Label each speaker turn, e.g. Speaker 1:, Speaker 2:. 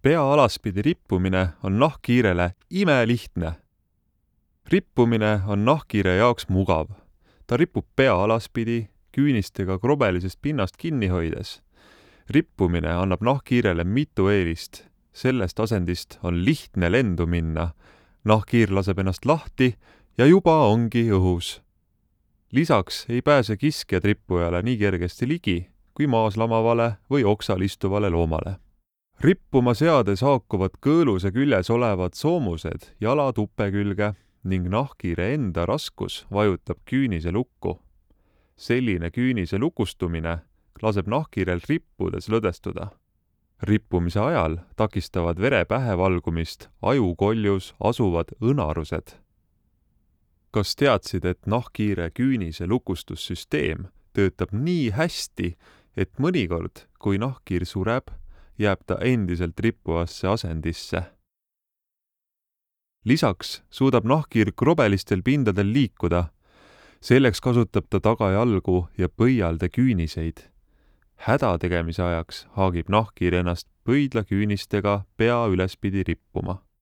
Speaker 1: Pea alaspidi rippumine on nahkhiirele imelihtne. Rippumine on nahkhiire jaoks mugav. Ta ripub pea alaspidi, küünistega krobelisest pinnast kinni hoides. Rippumine annab nahkhiirele mitu eelist. Sellest asendist on lihtne lendu minna. Nahkhiir laseb ennast lahti ja juba ongi õhus. Lisaks ei pääse kiskjad rippujale nii kergesti ligi kui maas lamavale või oksal istuvale loomale. Rippuma seades haakuvad kõõluse küljes olevad soomused jala tuppe külge ning nahkhiire enda raskus vajutab küünise lukku. Selline küünise lukustumine laseb nahkhiirel rippudes lõdestuda. Rippumise ajal takistavad vere pähe valgumist ajukoljus asuvad õnarused. Kas teadsid, et nahkhiire küünise lukustussüsteem töötab nii hästi, et mõnikord, kui nahkhiir sureb, jääb ta endiselt rippuvasse asendisse. Lisaks suudab nahkhiir krobelistel pindadel liikuda. Selleks kasutab ta tagajalgu ja põialde küüniseid. Häda tegemise ajaks haagib nahkhiir ennast pöidla küünistega pea ülespidi rippuma.